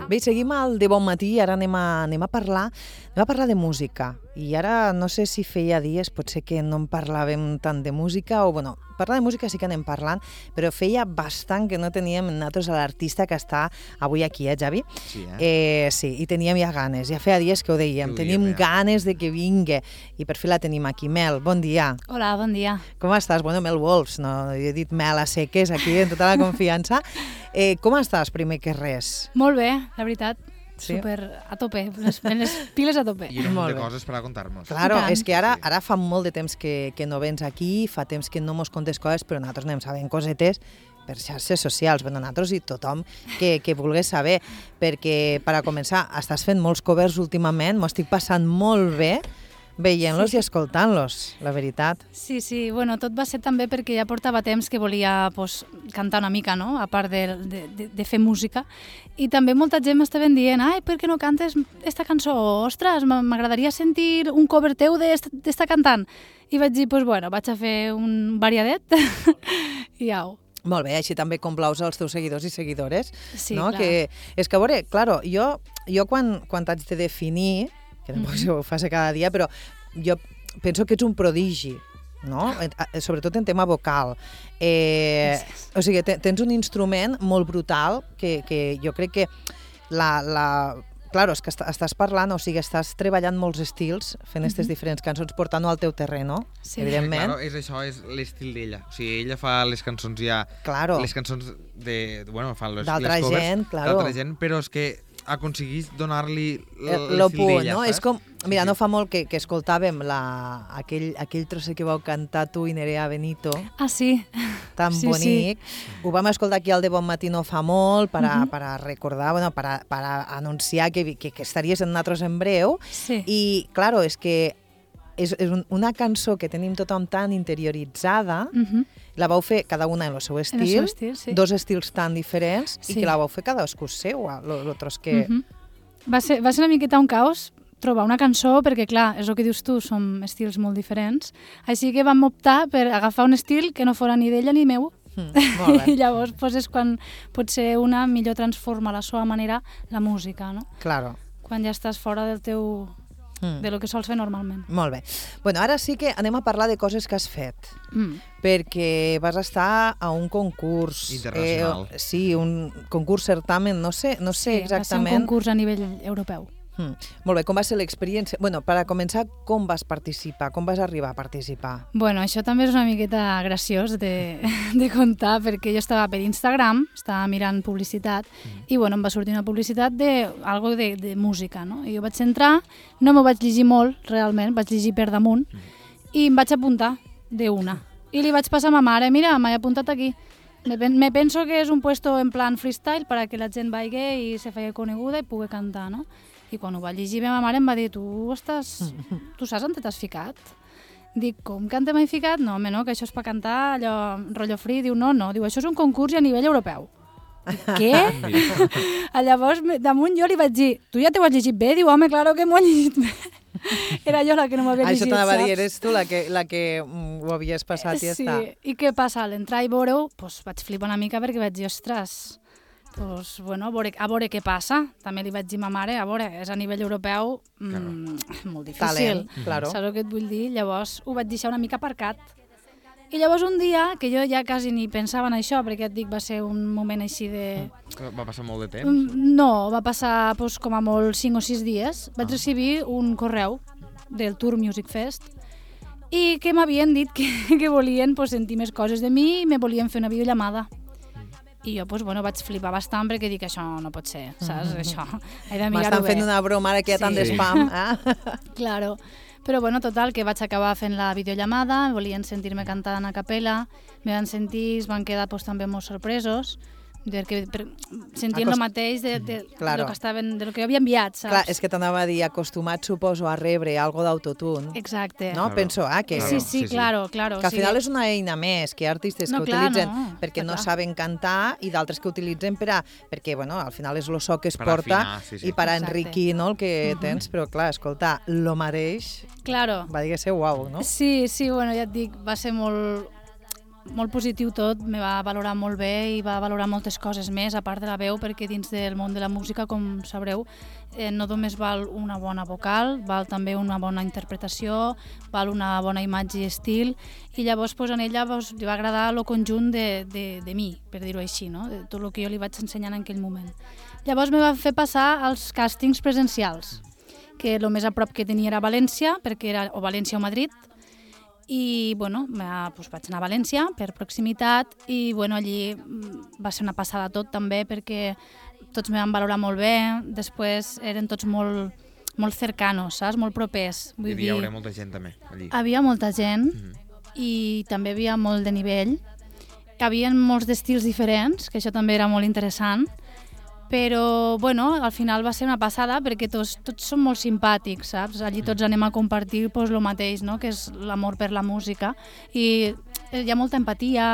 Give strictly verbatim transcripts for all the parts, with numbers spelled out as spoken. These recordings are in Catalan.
Bé, seguim al De Bon Matí i ara anem a, anem a parlar anem a parlar de música. I ara no sé si feia dies, potser que no en parlàvem tant de música, o bueno, parlar de música sí que anem parlant, però feia bastant que no teníem nosaltres a l'artista que està avui aquí, eh, Javi? Sí, eh? eh sí, i teníem ja ganes, ja feia dies que ho dèiem, Sí, ho tenim diem, ja. ganes de que vingui, i per fi la tenim aquí. Mel, bon dia. Hola, bon dia. Com estàs? Bueno, Mel Wolfs, no? Jo he dit Mel a seques aquí, en tota la confiança. Eh, com estàs, primer que res? Molt bé, la veritat. Sí? Super a tope, les, les piles a tope. I un Molt munt de bé. coses per a contar-nos. Claro, I tant. és que ara, ara fa molt de temps que, que no vens aquí, fa temps que no mos contes coses, però nosaltres anem sabent cosetes per xarxes socials, bueno, nosaltres i tothom que, que vulgués saber, perquè, per a començar, estàs fent molts covers últimament, m'ho estic passant molt bé veient-los Sí. i escoltant-los, la veritat. Sí, sí, bueno, tot va ser també perquè ja portava temps que volia pues, cantar una mica, no?, a part de, de, de, de fer música, i també molta gent m'estaven dient, ai, per què no cantes esta cançó? Ostres, m'agradaria sentir un cover teu d'esta cantant. I vaig dir, pues bueno, vaig a fer un variadet i au. Molt bé, així també complaus els teus seguidors i seguidores, Sí, no? clar. Que, és que, a veure, claro, jo, jo quan, quan t'haig de definir, que tampoc mm-hmm. ho fas cada dia, però jo penso que ets un prodigi, no? Sobretot en tema vocal. Eh, o sigui, tens un instrument molt brutal que, que jo crec que la... la Claro, és que estàs parlant, o sigui, estàs treballant molts estils, fent aquestes diferents cançons, portant-ho al teu terreno, Sí. evidentment. Claro, és això, és l'estil d'ella. O sigui, ella fa les cançons ja... Claro. Les cançons de... Bueno, fa les, D'altra les covers gent, claro. d'altra gent, però és que aconseguís donar-li Lo l'estil punt, d'ella, no? saps? És com... Mira, Sí, no sí. fa molt que, que escoltàvem la, aquell, aquell trosset que vau cantar tu i Nerea Benito, Ah, sí. tan Sí, bonic. Ho vam escoltar aquí al De Bon Matí no fa molt per a, Mhm. per a recordar, bueno, per a, per a anunciar que, que, que estaries en nosaltres en breu. Sí. I, claro, és que és, és un, una cançó que tenim tothom tan interioritzada, Mhm. la vau fer cada una en el seu En estil, el seu estil, sí. dos estils tan diferents, i Sí. que la vau fer cadascú seu, l'altres que... Mhm. Va ser, va ser una miqueta un caos trobar una cançó, perquè clar, és el que dius tu, som estils molt diferents, així que vam optar per agafar un estil que no fora ni d'ella ni meu, Mm, molt bé. i llavors pues, és quan potser una millor transforma a la seva manera la música, no? Claro. Quan ja estàs fora del teu, Mm. de lo que sols fer normalment. Molt bé. Bueno, ara sí que anem a parlar de coses que has fet, Mm. perquè vas estar a un concurs. Internacional. Eh, sí, un concurs certamen, no sé, no sé Sí, va ser un exactament. concurs a nivell europeu. Mm. Molt bé, com va ser l'experiència? Bueno, per a començar, com vas participar? Com vas arribar a participar? Bueno, això també és una miqueta graciós de, de contar, perquè jo estava per Instagram, estava mirant publicitat, i bueno, em va sortir una publicitat de algo de, de música, no? I jo vaig entrar, no m'ho vaig llegir molt, realment, vaig llegir per damunt, i em vaig apuntar d'una. I li vaig passar a ma mare, mira, m'he apuntat aquí. Me, pen me penso que és un puesto en plan freestyle per a que la gent vagi i se faci coneguda i pugui cantar, no? I quan ho va llegir, ma mare em va dir, tu estàs... tu saps on t'has ficat? Dic, com que on t'he ficat? No, home, no, que això és per cantar, allò, rotllo free. Diu, no, no, diu, això és un concurs a nivell europeu. Dic, què? Llavors, me- damunt jo li vaig dir, tu ja t'ho has llegit bé? Diu, home, claro que m'ho he llegit bé. Era jo la que no m'havia Això llegit, t'anava a dir, saps? eres tu la que, la que mm, ho havies passat i ja Sí, està. i què passa? A l'entrar i veure-ho, doncs vaig flipar una mica perquè vaig dir, ostres, doncs, bueno, a veure, a veure què passa. També li vaig dir a ma mare, a veure, és a nivell europeu mm, molt difícil. Talent, claro. Saps el que et vull dir? Llavors ho vaig deixar una mica aparcat. I llavors un dia, que jo ja quasi ni pensava en això, perquè et dic, va ser un moment així de... Va passar molt de temps. Mm, No, va passar doncs, com a molt cinc o sis dies. Vaig recibir un correu del Tour Music Fest i que m'havien dit que, que volien pues, sentir més coses de mi i me volien fer una videollamada. I jo pues, bueno, vaig flipar bastant perquè dic això no pot ser, saps? Això, he de mirar-ho M'estan bé. fent una broma ara que hi ha tant Sí. d'espam. Eh? Claro. Però bueno, total, que vaig acabar fent la videollamada, volien sentir-me cantant a capella, me van sentir, es van quedar pues, també molt sorpresos, perquè per, sentien Acost- el mateix de, de, Claro. de, lo que estaven, de lo que jo havia enviat, saps? Clar, és que t'anava a dir, acostumat, suposo, a rebre algo d'autotune. Exacte. No? Claro. Penso, ah, que... Sí, Claro, sí, sí, sí. claro, claro. Que al final és una eina més, que hi ha artistes No, que clar, utilitzen no, perquè està no clar. saben cantar i d'altres que utilitzen per a, perquè bueno, al final és el so que es Per porta afinar, sí, sí. i per a Exacte. enriquir no, el que tens, però clar, escolta, lo mateix Claro. va dir que ser uau, no? Sí, sí, bueno, ja et dic, va ser molt... molt positiu tot, me va valorar molt bé i va valorar moltes coses més, a part de la veu, perquè dins del món de la música, com sabreu, eh, no només val una bona vocal, val també una bona interpretació, val una bona imatge i estil, i llavors pues, en ella pues, li va agradar el conjunt de, de, de mi, per dir-ho així, no? De tot el que jo li vaig ensenyar en aquell moment. Llavors me va fer passar als càstings presencials, que el més a prop que tenia era València, perquè era o València o Madrid, i bueno, doncs vaig anar a València per proximitat i bueno, allí va ser una passada tot també perquè tots me van valorar molt bé, després eren tots molt, molt cercanos, saps? Molt propers. Vull hi havia dir, molta gent també allí. Havia molta gent mm-hmm. i també havia molt de nivell. Hi havia molts d'estils diferents, que això també era molt interessant. Però, bueno, al final va ser una passada perquè tots, tots són molt simpàtics, saps? Allí tots anem a compartir pues, el mateix, no? Que és l'amor per la música i hi ha molta empatia.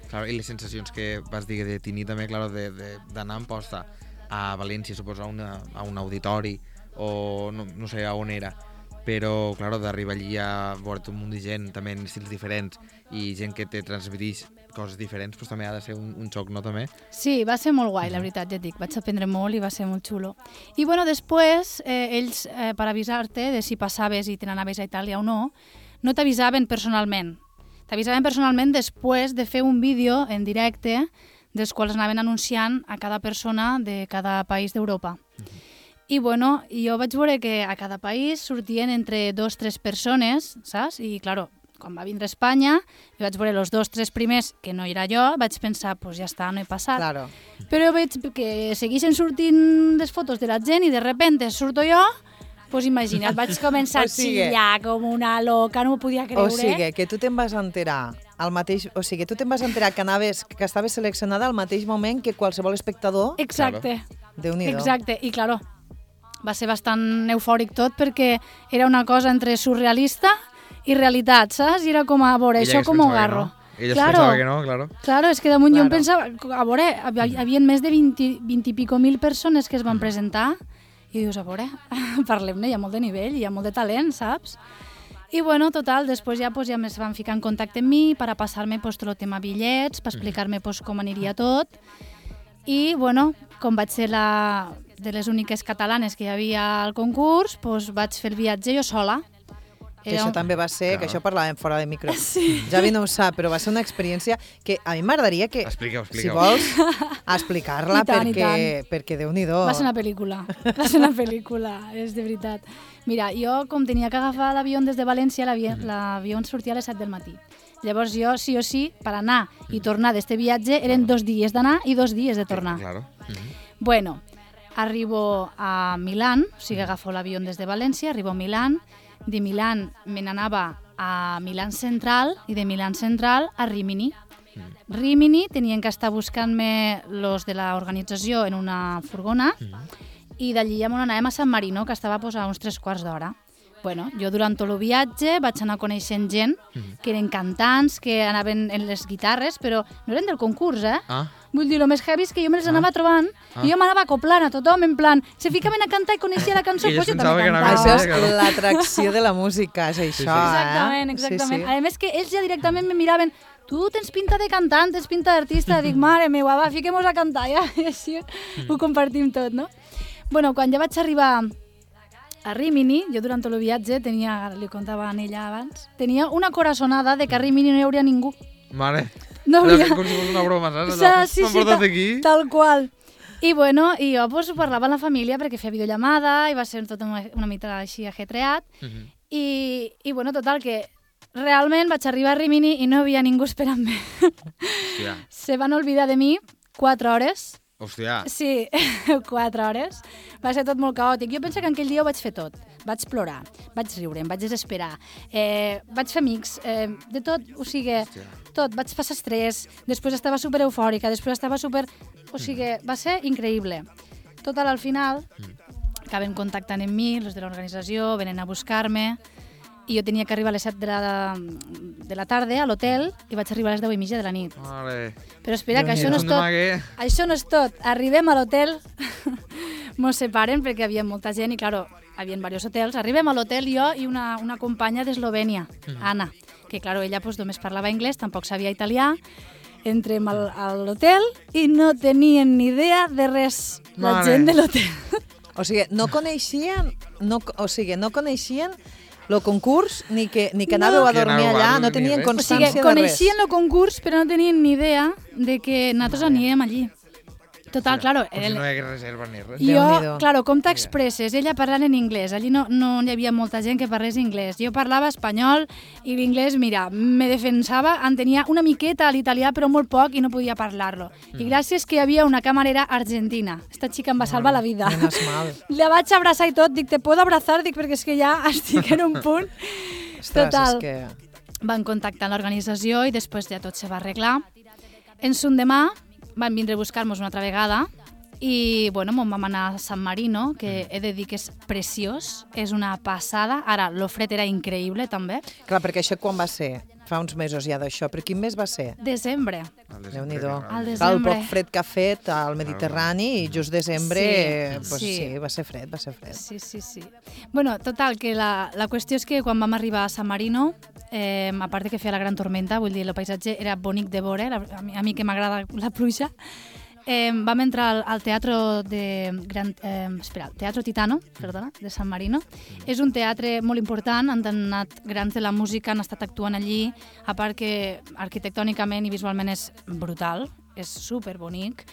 Claro, i les sensacions que vas dir de tenir també, claro, d'anar en posta a València, suposo, a, una, a un auditori o no, no sé a on era, però, claro, d'arribar allí a veure un munt de gent, també en estils diferents i gent que te transmeteix coses diferents, doncs també ha de ser un, un xoc, no, també? Sí, va ser molt guai, la veritat, ja et dic. Vaig aprendre molt i va ser molt xulo. I, bueno, després, eh, ells, eh, per avisar-te de si passaves i te n'anaves a Itàlia o no, no t'avisaven personalment. T'avisaven personalment després de fer un vídeo en directe dels quals anaven anunciant a cada persona de cada país d'Europa. Mm-hmm. I, bueno, jo vaig veure que a cada país sortien entre dos o tres persones, saps? I, claro, quan va vindre a Espanya, i vaig veure els dos o tres primers, que no era jo, vaig pensar, doncs pues ja està, no he passat. Claro. Però veig que segueixen sortint les fotos de la gent i de repente surto jo, doncs pues imagina't, vaig començar a xillar com una loca, no m'ho podia creure. O sigui, que tu te'n vas enterar al mateix, o sigui, tu te'n vas enterar que anaves, que estaves seleccionada al mateix moment que qualsevol espectador. Exacte. Déu-n'hi-do. Exacte, i claro, va ser bastant eufòric tot perquè era una cosa entre surrealista i realitat, saps? I era com a veure, ella això com ho agarro. No. Ella claro, es pensava que no, claro. Claro, és que damunt claro. Jo em pensava, a veure, hi havia més de vint, vint i pico mil persones que es van presentar i dius, a veure, parlem-ne, hi ha molt de nivell, hi ha molt de talent, saps? I bueno, total, després ja, pues, ja es van ficar en contacte amb mi per a passar-me pues, tot el tema bitllets, per explicar-me pues, com aniria tot. I bueno, com vaig ser la, de les úniques catalanes que hi havia al concurs, pues, vaig fer el viatge jo sola. Que això un... també va ser, claro. Que això parlàvem fora de micro. Sí. Javi no ho sap, però va ser una experiència que a mi m'agradaria que, expliqueu, expliqueu. si vols, explicar-la perquè, perquè Déu-n'hi-do. Va ser una pel·lícula, va ser una pel·lícula, és de veritat. Mira, jo com tenia que agafar l'avió des de València, l'avió mm. sortia a les set del matí. Llavors jo, sí o sí, per anar i tornar d'este viatge, eren dos dies d'anar i dos dies de tornar. Claro. Mm-hmm. Bueno, arribo a Milán, o sigui, agafo l'avió des de València, arribo a Milán, de Milán me n'anava a Milán Central i de Milán Central a Rímini. Mm. Rímini tenien que estar buscant-me los de l'organització en una furgona mm. i d'allí ja m'anàvem a San Marino, que estava pues, a uns tres quarts d'hora. Bueno, jo durant tot el viatge vaig anar coneixent gent mm. que eren cantants, que anaven en les guitarres, però no eren del concurs, eh? Ah. Vull dir, el més heavy és que jo me les anava ah. trobant ah. i jo m'anava acoplant a tothom, en plan, se ficaven a cantar i coneixia la cançó, doncs jo també cantava. Això és l'atracció de la música, és això, sí, sí. Exactament, eh? exactament. Sí, sí. A més que ells ja directament me miraven, tu tens pinta de cantant, tens pinta d'artista, dic, mare meva, va, fiquem-nos a cantar, ja, i així ho compartim tot, no? Bueno, quan ja vaig arribar a Rímini, jo durant tot el viatge tenia, li contava a ella abans, tenia una corazonada de que a Rímini no hi hauria ningú. Mare, no hauria... com si fos una broma, saps? O sea, sí, m'han sí, portat ta, aquí. Tal qual. I bueno, i jo pues, parlava amb la família perquè feia videollamada i va ser tot una, una mica així ajetreat. Uh-huh. I, I bueno, total, que realment vaig arribar a Rímini i no hi havia ningú esperant-me. Hòstia. Se van oblidar de mi quatre hores. Hòstia. Sí, quatre hores. Va ser tot molt caòtic. Jo penso que aquell dia ho vaig fer tot. Vaig plorar, vaig riure, em vaig desesperar, eh, vaig fer amics, eh, de tot, o sigui, Hòstia. tot. Vaig passar estrès, després estava super eufòrica, després estava super... O sigui, va ser increïble. Total, al final, acaben contactant amb mi, els de l'organització, venen a buscar-me, i jo tenia que arribar a les set de la, de la tarda a l'hotel i vaig arribar a les deu i mitja de la nit. Vale. Però espera, que això no és tot. Això no és tot. Arribem a l'hotel, mos separen perquè hi havia molta gent i, claro, hi havia diversos hotels. Arribem a l'hotel jo i una, una companya d'Eslovènia, Anna. que claro, ella pues, només parlava anglès, tampoc sabia italià. Entrem al, a l'hotel i no tenien ni idea de res, la Mare. gent de l'hotel. O sigui, no coneixien, no, o sigui, no coneixien el concurs ni que, ni que anàveu a Que dormir anàveu a allà, dormir no tenien res. O constància sigui, de res. coneixien el concurs, però no tenien ni idea de que nosaltres anirem allí. Total, claro. Com si no hi hagués reserva ni res. Jo, Déu-n'hi-do. claro, com t'expresses? Ella parlant en anglès, allí no, no hi havia molta gent que parlés anglès. Jo parlava espanyol i l'inglès, mira, me defensava, en tenia una miqueta a l'italià, però molt poc i no podia parlar-lo. I gràcies que hi havia una camarera argentina. Esta xica em va salvar la vida. Menos mal. La vaig abraçar i tot, dic, te puedo abrazar? Dic, perquè és que ja estic en un punt. Ostres, Total. és que... Van contactar l'organització i després ja tot se va arreglar. En son demà van vindre a buscar-nos una altra vegada i, bueno, mos vam anar a San Marino, que he de dir que és preciós, és una passada. Ara, l'ofret era increïble, també. Clar, perquè això quan va ser? Fa uns mesos ja d'això, però quin mes va ser? Desembre. Al desembre, Déu-n'hi-do. que- Al Clar, el desembre. poc fred que ha fet al Mediterrani i just desembre, Sí, eh, pues sí. sí, va ser fred, va ser fred. Sí, sí, sí. Bueno, total, que la, la qüestió és que quan vam arribar a San Marino, eh, a part de que feia la gran tormenta, vull dir, el paisatge era bonic de veure, la, a, mi, a mi que m'agrada la pluja, eh, vam entrar al, al teatro de Gran, eh, espera, el Teatro Titano, perdona, de San Marino. És un teatre molt important, han anat grans de la música, han estat actuant allí, a part que arquitectònicament i visualment és brutal, és superbonic.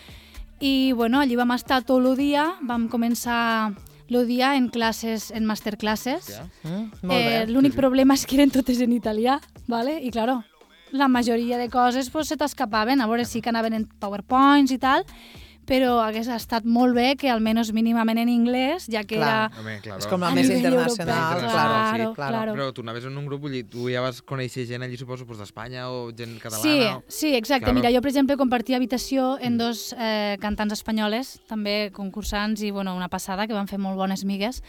I bueno, allí vam estar tot el dia, vam començar el dia en classes, en masterclasses. Ja. Mm? Molt Eh, bé. L'únic problema és que eren totes en italià, ¿vale? I claro, la majoria de coses pues, se t'escapaven, a veure sí que anaven en PowerPoints i tal, però hagués estat molt bé que almenys mínimament en anglès, ja que Clar. era... Home, claro. És com la A més nivell internacional, europeu, claro, claro, sí, claro. claro. Però tu anaves en un grup, vull dir, tu ja vas conèixer gent allí, suposo, pues, d'Espanya o gent catalana? Sí, o... sí, exacte. Claro. Mira, jo, per exemple, compartia habitació en dos eh, cantants espanyoles, també concursants i, bueno, una passada, que van fer molt bones migues.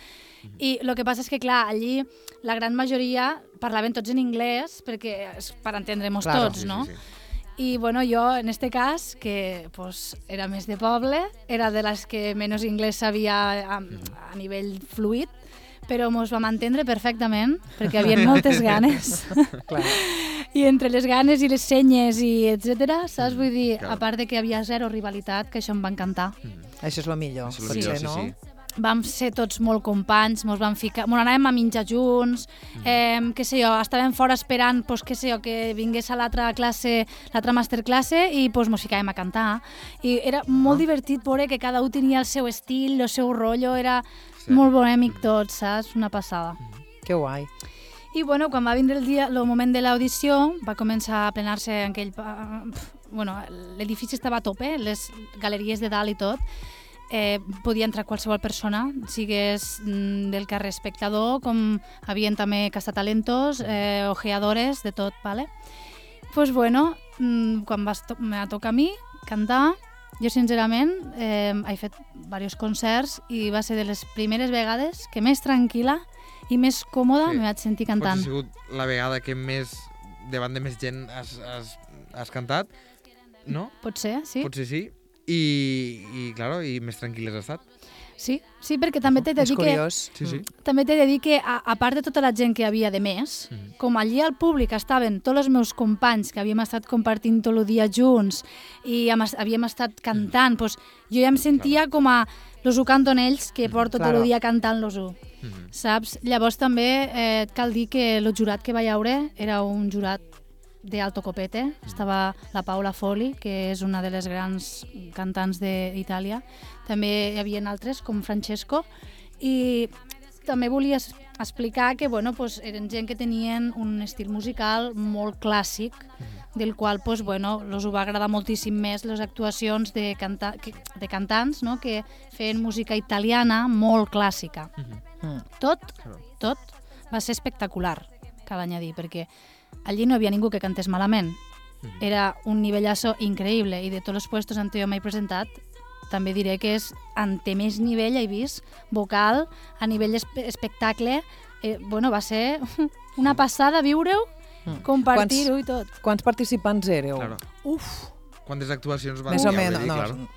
I el que passa és que, clar, allí la gran majoria parlaven tots en anglès, perquè és per entendre-nos Claro. tots, Sí, no? sí, sí. I, bueno, jo, en este cas, que pues, era més de poble, era de les que menys anglès sabia a, a nivell fluid, però mos vam entendre perfectament, perquè hi havia moltes ganes. Clar. I entre les ganes i les senyes i etcètera, saps? Vull dir, Clar. a part de que hi havia zero rivalitat, que això em va encantar. Això és el millor, Això és el potser, millor, sí, no? sí. Vam ser tots molt companys, mos vam ficar, mos anàvem a menjar junts, eh, què sé jo, estàvem fora esperant, pues, què sé jo, que vingués a l'altra classe, l'altra masterclasse i pues, mos ficàvem a cantar. I era molt divertit veure que cada un tenia el seu estil, el seu rotllo, era Sí. molt bonèmic tot, saps? Una passada. Que guai. I bueno, quan va vindre el dia, el moment de l'audició, va començar a plenar-se en aquell... pa- Bueno, l'edifici estava a tope, les galeries de dalt i tot. Eh, podia entrar qualsevol persona, sigués mm, del carrer espectador, com havien també castatalentos, eh, ojeadores, de tot, ¿vale? Pues bueno, mm, quan va to me va tocar a mi cantar, jo sincerament eh, he fet diversos concerts i va ser de les primeres vegades que més tranquil·la i més còmoda Sí. me vaig sentir Potser cantant. ha sigut la vegada que més, davant de més gent has, has, has cantat, no? Pot ser, sí? Potser sí. I, i, claro, i més tranquil has estat. Sí, sí, perquè també t'he de És dir que curiós. Sí, sí. també t'he de dir que, a, a part de tota la gent que hi havia de més, Mhm. com allí al públic estaven tots els meus companys que havíem estat compartint tot el dia junts i hem, es- havíem estat cantant, doncs jo ja em sentia com a los ho canten ells, que porto tot Claro. el dia cantant los ho. Mhm. Saps? Llavors també eh, et cal dir que el jurat que va haure era un jurat d'alto copete. Estava la Paula Foli, que és una de les grans cantants d'Itàlia. També hi havia altres, com Francesco. I també volia es- explicar que bueno, pues, eren gent que tenien un estil musical molt clàssic, del qual pues, bueno, els ho va agradar moltíssim més les actuacions de, canta que- de cantants, no? Que feien música italiana molt clàssica. Mm. Tot, Claro. tot va ser espectacular, cal añadir, perquè allí no hi havia ningú que cantés malament. Era un nivellazo increïble i de tots els puestos on jo m'he presentat també diré que és ante més nivell he vist, vocal, a nivell espe espectacle, eh, bueno, va ser una passada viure-ho, Mm. compartir-ho i tot. Quants participants éreu? Claro. Uf, Quantes actuacions van Més o haver, menys, vull dir, no, claro.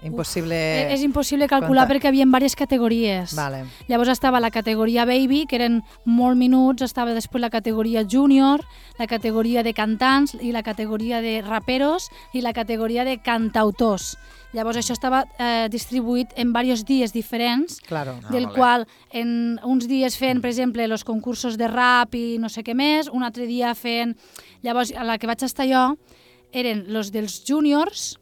Impossible... Uf, és impossible calcular comptar. perquè hi havia diverses categories. Vale. Llavors estava la categoria Baby, que eren molt minuts, estava després la categoria Junior, la categoria de cantants i la categoria de raperos i la categoria de cantautors. Llavors això estava eh, distribuït en diversos dies diferents, Claro. Ah, del vale. qual en uns dies feien, per exemple, els concursos de rap i no sé què més, un altre dia feien... Llavors, a la que vaig estar jo, eren los dels juniors,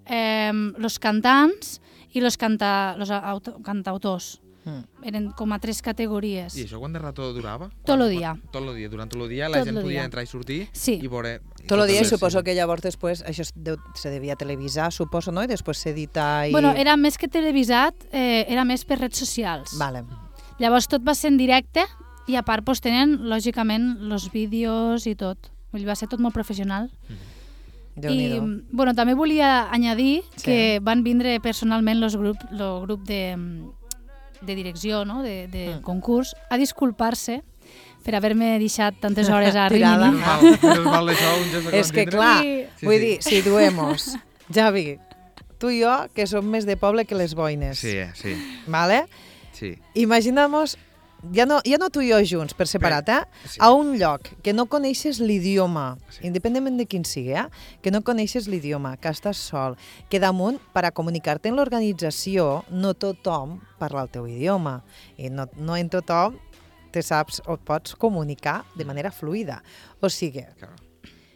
eh, los cantants i los, canta, los auto, cantautors. Mm. Eren com a tres categories. I això quant de rato durava? Tot el dia. Tot el dia. Durant tot el dia la Tot gent lo podia dia. entrar i sortir Sí. i veure... Tot el dia i sí. suposo que llavors després això es, deu, se devia televisar, suposo, no? I després s'edita i... Bueno, era més que televisat, eh, era més per redes socials. Vale. Llavors tot va ser en directe i a part pues, tenen, lògicament, els vídeos i tot. Vull dir, va ser tot molt professional. I Déu-n'hi-do. bueno, també volia añadir Sí. que van vindre personalment el grup, lo grup de, de direcció, no? de, de Mm. concurs, a disculpar-se per haver-me deixat tantes hores a Tirada. Rimini. Menys mal, menys mal això, un gest de És que contindre. clar, Sí. Sí, vull sí. dir, situemos. Javi, tu i jo, que som més de poble que les boines. Sí, sí, Vale? sí. Imaginamos, ja no, ja no tu i jo junts, per separat, eh? Sí. A un lloc que no coneixes l'idioma, Sí. independentment de quin sigui, eh? Que no coneixes l'idioma, que estàs sol, que damunt, per a comunicar-te en l'organització, no tothom parla el teu idioma. I no, no en tothom te saps o et pots comunicar de manera fluida. O sigui, Claro.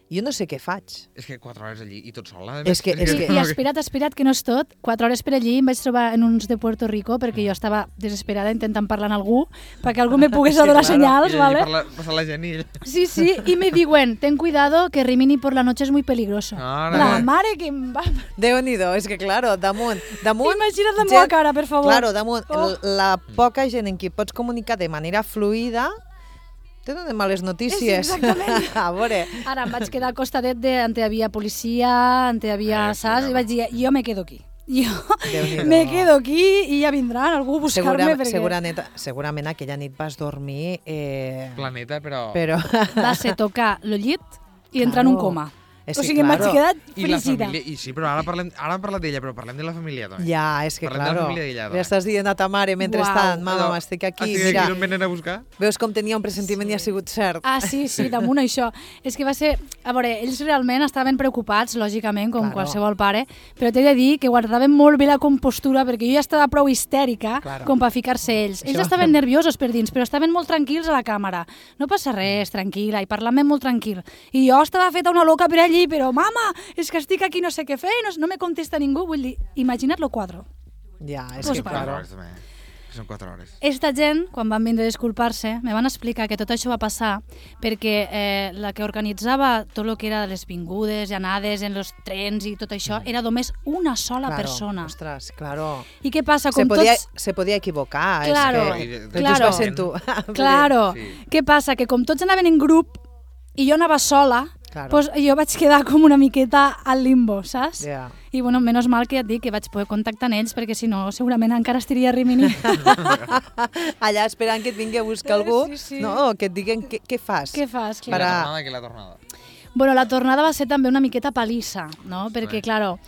jo no sé què faig. És que quatre hores allí i tot sol. a És més. que- és I, que- I espera't, espera't, que no és tot. Quatre hores per allí em vaig trobar en uns de Puerto Rico perquè jo estava desesperada intentant parlar amb algú perquè algú me pogués Sí, donar claro. senyals, I allí ¿vale? parla, passa la gent i ell... Sí, sí, y me diuen, ten cuidado que Rimini por la noche es muy peligroso. Ara. La mare que em va... Déu-n'hi-do, és que, claro, damunt... damunt Imagina't la gent- meva cara, per favor. Claro, damunt, Oh. l- la poca gent en qui pots comunicar de manera fluida te donen males notícies. Sí, exactament. A veure, Ara em vaig quedar al costadet de on hi havia policia, on hi havia Eh, sí, saps, clar. i vaig dir, jo me quedo aquí. Jo Déu-n'hi-do. me quedo aquí i ja vindran algú a buscar-me segura, perquè segurament, segurament aquella nit vas dormir... Eh, Planeta, però... però... va ser tocar el llit i entrar en un Claro. coma. És O que, sigui, em vaig claro. quedar I la frígida. família... I sí, però ara parlem, ara hem parlat d'ella, però parlem de la família també. Ja, és que, Parlem de la claro, família d'ella, li estàs dient a ta mare mentrestant, Uau. mama, Allò, estic aquí, estic mira, aquí, no em venen a buscar? veus com tenia un pressentiment i ha sigut cert. Ah, sí, sí, damunt això. És que va ser... A veure, ells realment estaven preocupats, lògicament, com Claro. qualsevol pare, però t'he de dir que guardaven molt bé la compostura perquè jo ja estava prou histèrica Claro. com per ficar-se ells. Ells Això- estaven nerviosos per dins, però estaven molt tranquils a la càmera. No passa res, tranquil·la, i parlant molt tranquil. I jo estava feta una loca per allí, però mama, és que estic aquí no sé què fer, no, no me contesta ningú. Vull dir, imagina't lo quadro. Ja, és Pues que, va. Quatre claro. hores, també. Són quatre hores. Esta gent, quan van vindre a disculpar-se, me van explicar que tot això va passar perquè eh, la que organitzava tot el que era les vingudes i anades en els trens i tot això era només una sola Claro, persona. Ostres, claro. I què passa? Se Com podia, tots... se podia equivocar. Claro, és I que... de- de claro. just va ser tu. Claro. Sí. Què passa? Que com tots anaven en grup i jo anava sola, Claro. pues jo vaig quedar com una miqueta al limbo, saps? Ja. I bueno, menys mal que ja et dic que vaig poder contactar amb ells perquè si no segurament encara estaria a Rimini. Allà esperant que et vingui a buscar algú, Sí, sí. no, que et diguen què, què fas. Què fas? I Clar. la Para- tornada, que la tornada. Bueno, la tornada va ser també una miqueta palissa, no? Perquè, Sí. claro,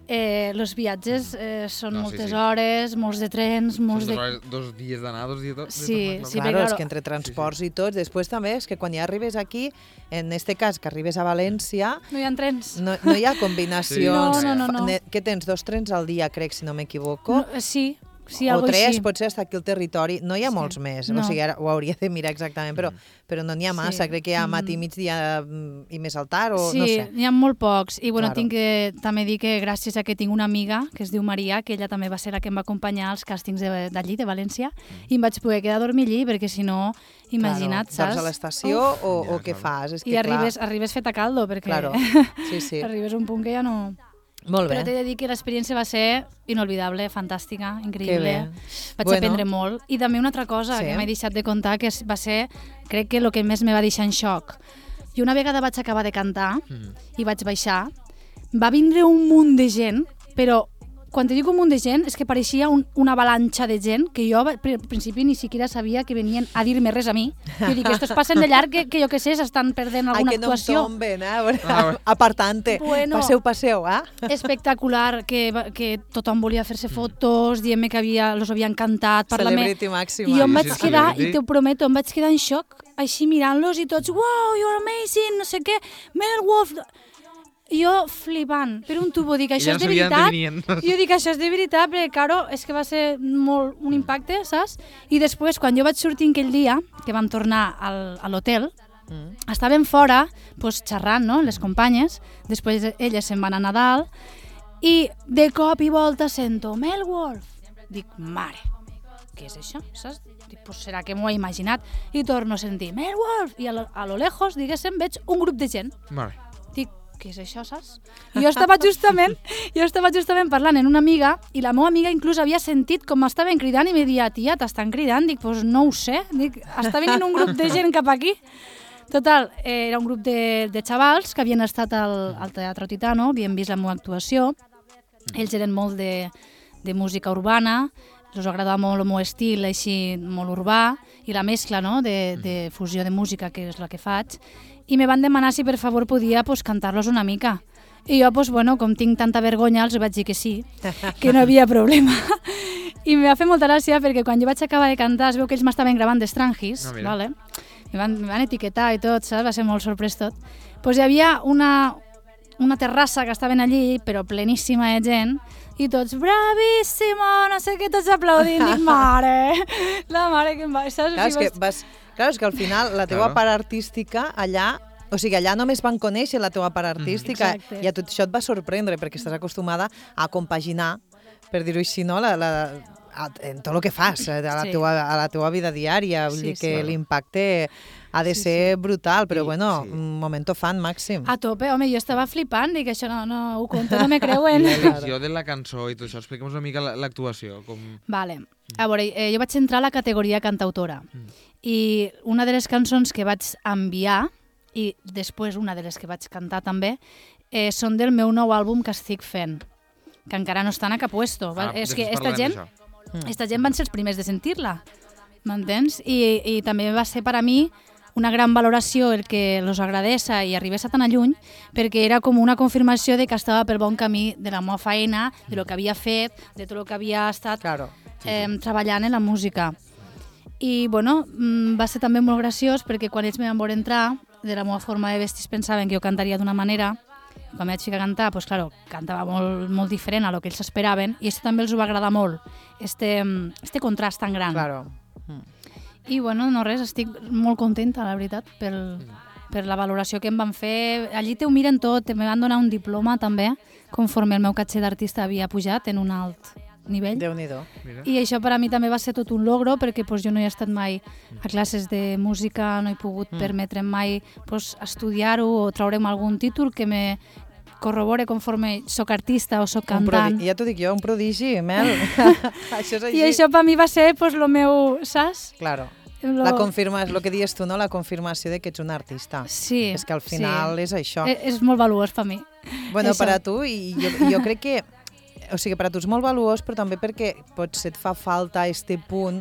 eh, els viatges eh, són No, sí, moltes sí. hores, molts de trens, molts Són de... dos, hores, dos dies d'anar, dos dies de, de Sí, tornar, sí, clar. Claro, perquè, és claro, que entre transports i tots, després també és que quan ja arribes aquí, en este cas que arribes a València, No hi ha trens. no, no hi ha combinacions. Sí. No, no, no, no. Ne- Que tens dos trens al dia, crec, si no m'equivoco. No, eh, sí, sí, o algo tres, així. potser està aquí al territori. No hi ha Sí. molts més, No. o sigui, ara ho hauria de mirar exactament, però, però no n'hi ha massa. Sí. Crec que hi ha Mm. matí, migdia mm, i més al tard, o Sí, no sé. n'hi ha molt pocs. I bueno, Claro. tinc que també dir que gràcies a que tinc una amiga que es diu Maria, que ella també va ser la que em va acompanyar als càstings de- d'allí, de València, i em vaig poder quedar a dormir allí, perquè si no, imagina't, claro, saps? Dorms a l'estació Uf. o, Ja, o què claro. fas? És que, I arribes, arribes fet a caldo, perquè Claro, sí, sí. arribes a un punt que ja no... Molt Però bé. t'he de dir que l'experiència va ser inolvidable, fantàstica, Que increïble. bé. Vaig Bueno. aprendre molt. I també una altra cosa Sí. que m'he deixat de contar, que va ser, crec que el que més me va deixar en xoc. I una vegada vaig acabar de cantar Mhm. i vaig baixar, va vindre un munt de gent, però quan te dic un munt de gent, és que pareixia un, una avalanxa de gent que jo al principi ni siquiera sabia que venien a dir-me res a mi. Jo dic, estos passen de llarg que, que jo què sé, s'estan perdent alguna Ai, que actuació. no em tomben, eh? Ah, apartante. Bueno, passeu, passeu, eh? Espectacular, que, que tothom volia fer-se fotos, dient-me que havia, los havien cantat, parlar-me. Celebrity màxima. I jo em Sí, vaig sí, quedar, celebrity. i t'ho prometo, em vaig quedar en xoc, així mirant-los i tots, wow, you're amazing, no sé què, Mel Wolf... Jo flipant, per un tubo, dic, això ja és no de sabien veritat. d'on venien. Jo dic, això és de veritat, perquè, claro, és que va ser molt un impacte, saps? I després, quan jo vaig sortir aquell dia, que vam tornar al, a l'hotel, mm. estàvem fora, pues, xerrant, no?, les companyes, després elles se'n van a Nadal, i de cop i volta sento, Mel Wolf. Dic, mare, què és això, saps? Dic, pues serà que m'ho he imaginat. I torno a sentir, Mel Wolf, i a lo, a lo lejos, diguéssim, veig un grup de gent. Vale. Dic, què és això, saps? I jo estava justament, jo estava justament parlant amb una amiga i la meva amiga inclús havia sentit com m'estaven cridant i me deia, tia, t'estan cridant? Dic, doncs pues no ho sé. Dic, està venint un grup de gent cap aquí. Total, eh, era un grup de, de xavals que havien estat al, al Teatre Titano, havien vist la meva actuació. Ells eren molt de, de música urbana, els agradava molt el meu estil, així molt urbà, i la mescla, no?, de, de fusió de música, que és la que faig. I me van demanar si per favor podia pues, cantar-los una mica. I jo, pues, bueno, com tinc tanta vergonya, els vaig dir que sí, que no havia problema. I me va fer molta gràcia perquè quan jo vaig acabar de cantar es veu que ells m'estaven gravant d'Estrangis, No, vale? me, van, me van etiquetar i tot, saps? Va ser molt sorprès tot. Pues hi havia una, una terrassa que estaven allí, però pleníssima de gent, i tots, bravíssimo, no sé què, tots aplaudint, dic, mare, la mare que em va... Saps? Clar, és O sigui, que, vas, clar, és que al final la teua Claro. part artística allà, o sigui, allà només van conèixer la teua part artística Exacte. i a tot això et va sorprendre perquè estàs acostumada a compaginar, per dir-ho així, no? la, la, a, en tot el que fas, a la, Sí. teua, a la teua vida diària, vull Sí, dir que sí. l'impacte ha de Sí, ser brutal, però I- bueno, sí. un momento fan màxim. A tope, home, jo estava flipant, dic, això no, no ho conto, no me creuen. I l'elecció de la cançó i tot això, explica'm una mica la- l'actuació. Com... Vale. A veure, eh, jo vaig entrar a la categoria cantautora Mm. i una de les cançons que vaig enviar i després una de les que vaig cantar també eh, són del meu nou àlbum que estic fent, que encara no estan a cap puesto. Ah, és que després esta parlarem gent, d'això. esta gent van ser els primers de sentir-la, m'entens? I, I també va ser per a mi una gran valoració el que los agradessa i arribés a tan a lluny, perquè era com una confirmació de que estava pel bon camí de la meva feina, de lo que havia fet, de tot el que havia estat Claro. eh, treballant en la música. I, bueno, mm, va ser també molt graciós perquè quan ells me van veure entrar, de la meva forma de vestir pensaven que jo cantaria d'una manera. Quan vaig ficar a cantar, pues, claro, cantava molt, molt diferent a lo que ells esperaven i això també els ho va agradar molt, este, este contrast tan gran. Claro. I, bueno, no res, estic molt contenta, la veritat, pel, per la valoració que em van fer. Allí te ho miren tot, me van donar un diploma també, conforme el meu caché d'artista havia pujat en un alt nivell. Déu-n'hi-do. Mira. I això per a mi també va ser tot un logro perquè pues, jo no he estat mai a classes de música, no he pogut Mm. permetre'm mai pues, estudiar-ho o traure'm algun títol que me corrobore conforme soc artista o soc Un cantant. prodi- ja t'ho dic jo, un prodigi, Mel. Això és així. I això per mi va ser pues, lo meu, saps? Claro. Lo... La confirma, és el que dius tu, no? La confirmació de que ets un artista. Sí. És que al final sí. és això. És, és molt valuós per mi. Bueno, això. per a tu, i jo, jo crec que... O sigui, per a tu és molt valuós, però també perquè potser et fa falta este punt,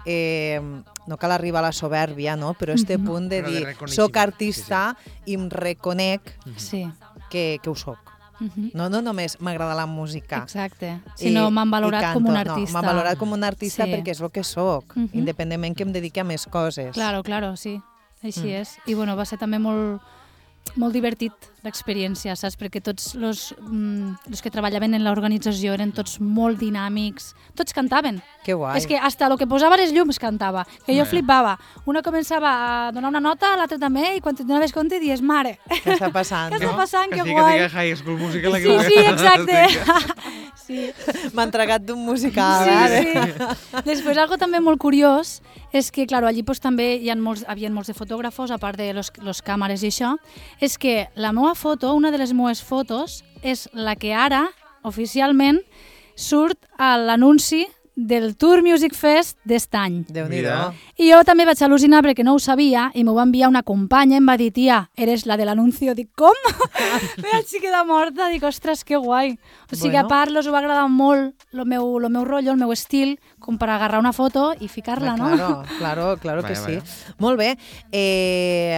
eh, no cal arribar a la soberbia, no? Però este Mhm. punt de Però de dir, reconeixement, soc artista i em reconec Sí. que, que ho soc. Mhm. No, no només m'agrada la música. Exacte. I- Si no, m'han i valorat canto. com un No, artista. m'han valorat com un artista Sí. perquè és el que sóc, Mhm. independentment que em dediqui a més coses. Claro, claro, sí. Així Mm. és. I bueno, va ser també molt, molt divertit l'experiència, saps? Perquè tots els mm, que treballaven en l'organització eren tots molt dinàmics. Tots cantaven. Que guai. És que hasta el que posava les llums cantava. Que jo Bé. flipava. Una començava a donar una nota, l'altra també, i quan te donaves compte dies, mare, Què està passant? què no? està passant? Que Que sí que guai. diga High School Musical. la que Sí, va- sí, exacte. Sí. M'ha entregat d'un musical, Sí, eh? sí. Després, algo també molt curiós és que, claro, allí pues, també hi ha molts, havia molts de fotògrafos, a part de los, los càmeres i això, és que la meva foto, una de les meves fotos, és la que ara, oficialment, surt a l'anunci del Tour Music Fest d'est any. Déu-n'hi-do. Mira. I jo també vaig al·lucinar perquè no ho sabia i m'ho va enviar una companya i em va dir, tia, eres la de l'anuncio. Dic, com? Me vaig quedar morta. Dic, ostres, que guai. O sigui, Bueno. a part, els va agradar molt el meu, el meu rotllo, el meu estil, com per agarrar una foto i ficar-la, no? Claro, claro, claro que Vaya, sí. Molt bé. Eh,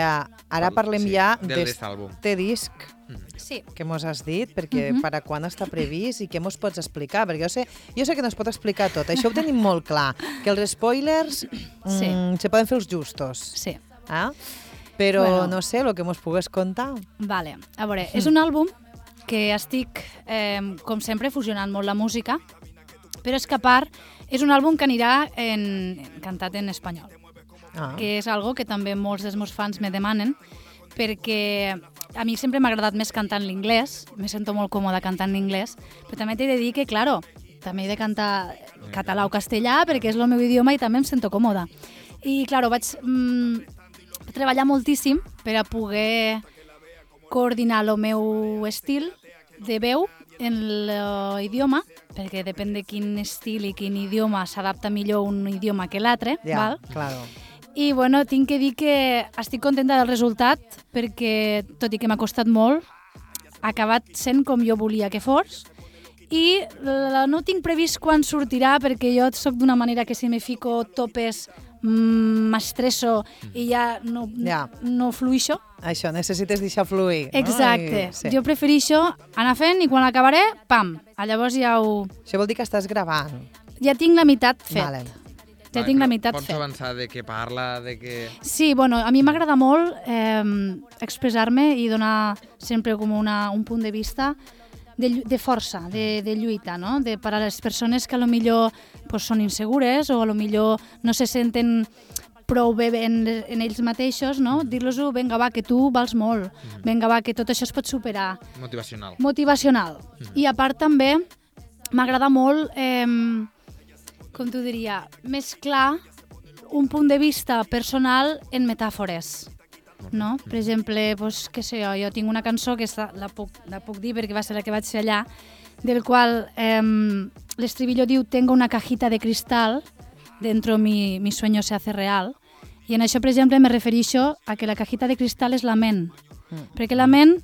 ara parlem Sí, ja del d'este àlbum. disc Sí. que mos has dit, perquè Mhm. per a quan està previst i què mos pots explicar? Perquè jo sé, jo sé que no es pot explicar tot, això ho tenim molt clar, que els spoilers Sí. mm, se poden fer els justos. Sí. Ah? Però Bueno. no sé, el que mos pugues contar. Vale, a veure, és un àlbum que estic, eh, com sempre, fusionant molt la música, però és que a part és un àlbum que anirà en, cantat en espanyol, Ah. que és algo que també molts dels meus fans me demanen, perquè a mi sempre m'ha agradat més cantar en l'inglès, me sento molt còmoda cantant en anglès, però també t'he de dir que, claro, també he de cantar català o castellà perquè és el meu idioma i també em sento còmoda. I, claro, vaig mm, treballar moltíssim per a poder coordinar el meu estil de veu en l'idioma, perquè depèn de quin estil i quin idioma s'adapta millor un idioma que l'altre, Ja, val? claro. I bueno, tinc que dir que estic contenta del resultat perquè, tot i que m'ha costat molt, ha acabat sent com jo volia que fos i la, no tinc previst quan sortirà perquè jo sóc d'una manera que si me fico topes mm, m'estresso i ja no, Ja. no fluixo. Això, necessites deixar fluir. Exacte. No? I, sí. Jo preferixo anar fent i quan acabaré, pam, llavors ja ho... Això vol dir que estàs gravant. Ja tinc la meitat fet. Vale. Ja Vale, tinc la però meitat Pots fet. avançar de què parla, de què... Sí, bueno, a mi m'agrada molt eh, expressar-me i donar sempre com una, un punt de vista de, llu- de força, de, de lluita, no? De, per a les persones que a lo millor pues, són insegures o a lo millor no se senten prou bé en, en ells mateixos, no? Dir-los-ho, vinga va, que tu vals molt, vinga va, que tot això es pot superar. Motivacional. Motivacional. I a part també m'agrada molt, eh, com t'ho diria, mesclar un punt de vista personal en metàfores. No? Per exemple, pues, què sé jo, jo tinc una cançó que està, la, puc, la puc dir perquè va ser la que vaig fer allà, del qual eh, l'estribillo diu «Tengo una cajita de cristal, dentro mi, mi sueño se hace real». I en això, per exemple, me refereixo a que la cajita de cristal és la ment. Mm. Perquè la ment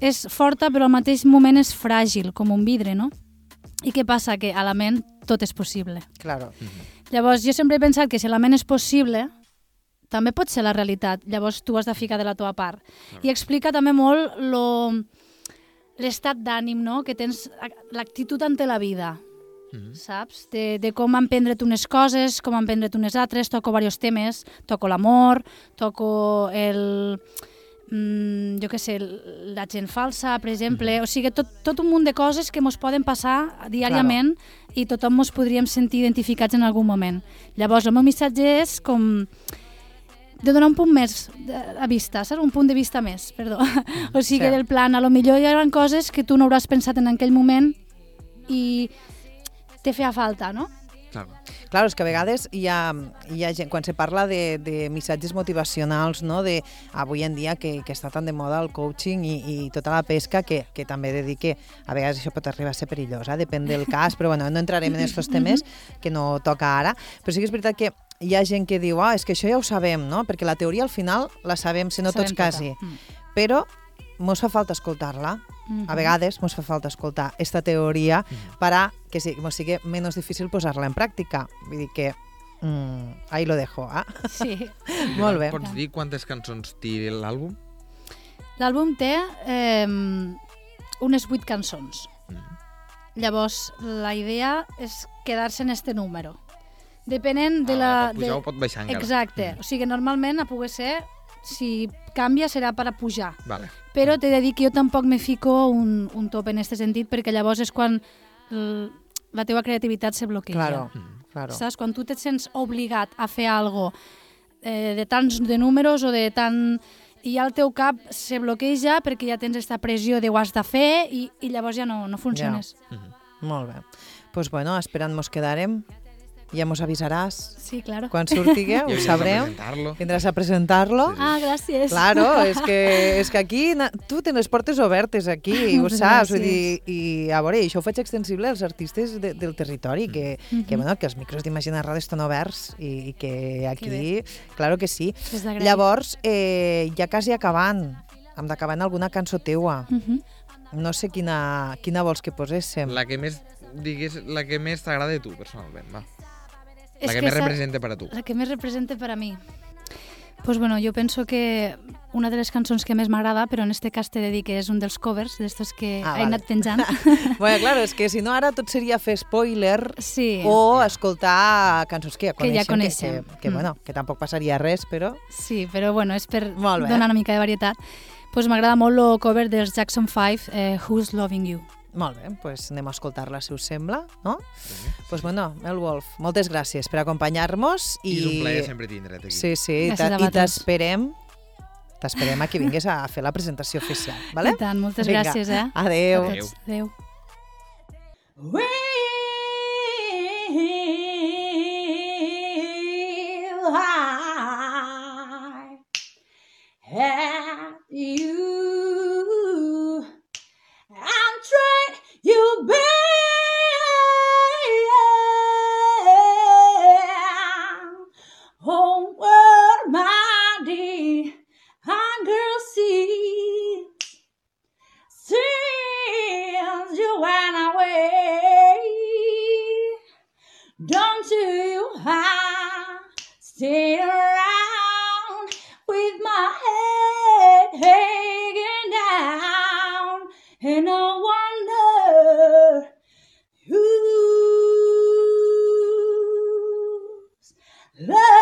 és forta però al mateix moment és fràgil, com un vidre, no? I què passa? Que a la ment tot és possible. Claro. Llavors, jo sempre he pensat que si la ment és possible, també pot ser la realitat. Llavors, tu has de ficar de la teva part. I explica també molt lo, l'estat d'ànim, no? Que tens, l'actitud ante la vida, Mhm. saps? De, de com emprendre't unes coses, com emprendre't unes altres. Toco diversos temes. Toco l'amor, toco el... Mm, jo què sé, la gent falsa, per exemple, o sigui, tot, tot un munt de coses que ens poden passar diàriament i tothom ens podríem sentir identificats en algun moment. Llavors, el meu missatge és com de donar un punt més a vista, saps? Un punt de vista més, perdó. O sigui, Sí. del plan, a lo millor hi ha coses que tu no hauràs pensat en aquell moment i te feia falta, no? Claro. Claro, és que a vegades hi ha, hi ha gent, quan se parla de, de missatges motivacionals, no? De, avui en dia que, que està tan de moda el coaching i, i tota la pesca, que, que també he de dir que a vegades això pot arribar a ser perillós, eh? Depèn del cas, però bueno, no entrarem en aquests temes que no toca ara, però sí que és veritat que hi ha gent que diu, ah, és que això ja ho sabem, no? Perquè la teoria al final la sabem, si no Sabem tots tota. quasi, Mm. però mos fa falta escoltar-la. Mhm. A vegades mos fa falta escoltar esta teoria per a que sí, mos sigui menys difícil posar-la en pràctica. Vull dir que mm, ahí lo dejo. Ah? Sí. Molt bé. Pots dir quantes cançons té l'àlbum? L'àlbum té eh, unes vuit cançons. Mm. Llavors, la idea és quedar-se en este número. Depenent de Ah, la... pot pujar de... o pot baixar encara. Exacte. Mm. O sigui, normalment a poder ser, si canvia serà per a pujar. Vale. Però t'he de dir que jo tampoc me fico un, un top en aquest sentit, perquè llavors és quan l- la teva creativitat se bloqueja. Claro, Mm. claro. Saps? Quan tu te sents obligat a fer algo eh, de tants de números o de tant... I ja el teu cap se bloqueja perquè ja tens aquesta pressió de ho has de fer i, i llavors ja no, no funciones. Mhm. Molt bé. Doncs pues bueno, esperant mos quedarem. ja mos avisaràs. Sí, claro. Quan surti, ho I sabrem. presentar-lo. Vindràs a presentar-lo. Ah, gràcies. Claro, és que, és que aquí na- tu tens les portes obertes aquí, ho Moltes saps, vull gràcies. dir, i a veure, això ho faig extensible als artistes de, del territori, que, Mhm. que, bueno, que els micros d'Imagina Ràdio estan oberts i, i que aquí, claro que sí. És d'agrair. Llavors, eh, ja quasi acabant, hem d'acabar en alguna cançó teua. Mhm. No sé quina, quina vols que poséssim. La que més, digues, la que més t'agrada de tu, personalment, va. És La que més sa- representa per a tu. La que més representa per a mi. Pues bueno, jo penso que una de les cançons que més m'agrada, però en este cas t'he de dir que és un dels covers, d'estos que Ah, he vale. anat penjant. Bueno, claro, és que si no ara tot seria fer spoiler Sí, o escoltar cançons que ja Que ja coneixem, coneixem. que, que, que, Mm. bueno, que tampoc passaria res, però... sí, però bueno, és per Molt bé. donar una mica de varietat. Pues m'agrada molt el cover dels Jackson five, eh, Who's Loving You. Molt bé, doncs anem a escoltar-la, si us sembla, no? Doncs pues bueno, Mel Wolf, moltes gràcies per acompanyar-nos. I... I és un plaer sempre tindre't aquí. Sí, sí, Gràcies ta- a i vosaltres. t'esperem t'esperem a que vinguis a fer la presentació oficial, vale? I tant, moltes Vinga, gràcies, eh? Adéu. A tots. Adéu. Will I have you? I'm trying you, babe. Oh, what my dear hunger sees since you went away. Don't you have stay around with my head hanging down, and no wonder who's love.